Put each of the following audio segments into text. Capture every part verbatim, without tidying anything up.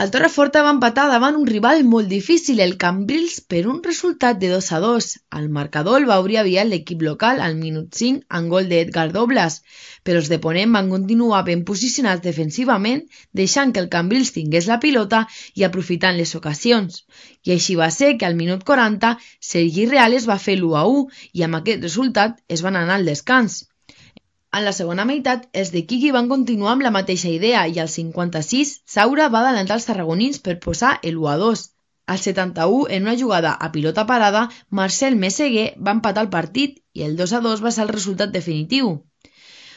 El Torreforta va empatar davant un rival molt difícil, el Cambrils, per un resultat de dos a dos. El marcador el va obrir aviat l'equip local al minut cinc amb gol d'Edgar Douglas, però els de Ponent van continuar ben posicionats defensivament, deixant que el Cambrils tingués la pilota i aprofitant les ocasions. I així va ser que al minut quaranta Sergi Reales va fer l'u a u i amb aquest resultat es van anar al descans. En la segona meitat, els de Quiqui van continuar amb la mateixa idea i al cinquanta-sis, Saura va adelantar els tarragonins per posar el u a dos. Al setanta-u, en una jugada a pilota parada, Marcel Meseguer va empatar el partit i el dos a dos va ser el resultat definitiu.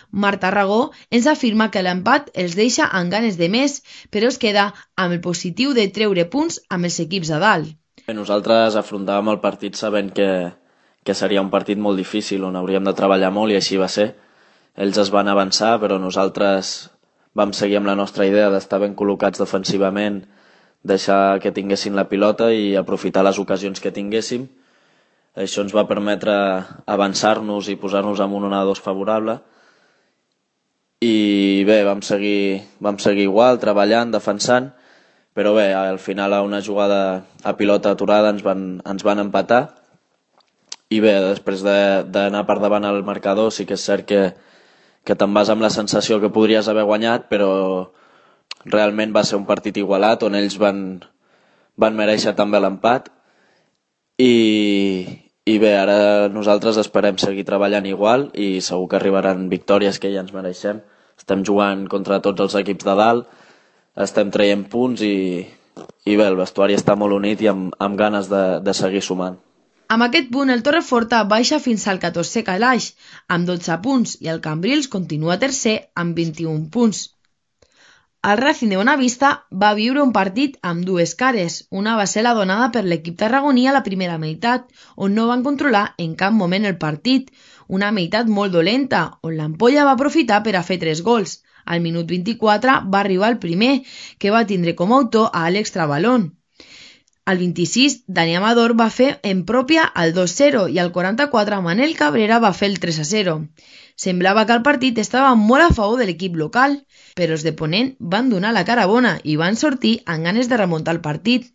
Marc Tarragó ens afirma que l'empat els deixa amb ganes de més, però es queda amb el positiu de treure punts amb els equips a dalt. Nosaltres afrontàvem el partit sabent que, que seria un partit molt difícil, on hauríem de treballar molt i així va ser. Ells es van avançar, però nosaltres vam seguir amb la nostra idea d'estar ben col·locats defensivament, deixar que tinguessin la pilota i aprofitar les ocasions que tinguéssim. Això ens va permetre avançar-nos i posar-nos en un un a dos favorable. I bé, vam seguir, vam seguir igual, treballant, defensant, però bé, al final a una jugada a pilota aturada ens van, ens van empatar. I bé, després d'anar per davant al marcador, sí que és cert que que te'n vas amb la sensació que podries haver guanyat, però realment va ser un partit igualat on ells van, van mereixer també l'empat i, i bé, ara nosaltres esperem seguir treballant igual i segur que arribaran victòries que ja ens mereixem. Estem jugant contra tots els equips de dalt, estem traient punts i, i bé, el vestuari està molt unit i amb, amb ganes de, de seguir sumant. Amb aquest punt, el Torreforta baixa fins al catorzè calaix, amb dotze punts, i el Cambrils continua tercer amb vint-i-un punts. El Racing de Bonavista va viure un partit amb dues cares. Una va ser la donada per l'equip tarragoní a la primera meitat, on no van controlar en cap moment el partit, una meitat molt dolenta, on l'Ampolla va aprofitar per a fer tres gols. Al minut vint-i-quatre va arribar el primer, que va tindre com a autor a Àlex Trabalón. Al vint-i-sis, Dani Amador va fer en pròpia el dos a zero i al quaranta-quatre Manel Cabrera va fer el tres a zero. Semblava que el partit estava molt a favor de l'equip local, però els de Ponent van donar la cara bona i van sortir amb ganes de remuntar el partit.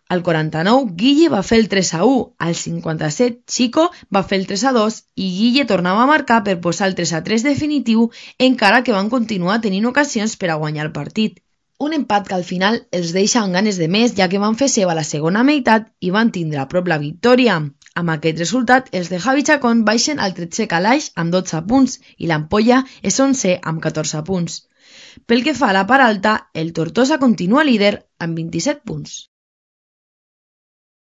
Al quaranta-nou, Guille va fer el tres a u, al cinquanta-set, Chico va fer el tres a dos i Guille tornava a marcar per posar el tres a tres definitiu, encara que van continuar tenint ocasions per a guanyar el partit. Un empat que al final els deixa amb ganes de més, ja que van fer seva la segona meitat i van tindre a prop la victòria. Amb aquest resultat, els de Javi Chacón baixen al tretzè calaix amb dotze punts i l'Ampolla és onzè amb catorze punts. Pel que fa a la part alta, el Tortosa continua líder amb vint-i-set punts.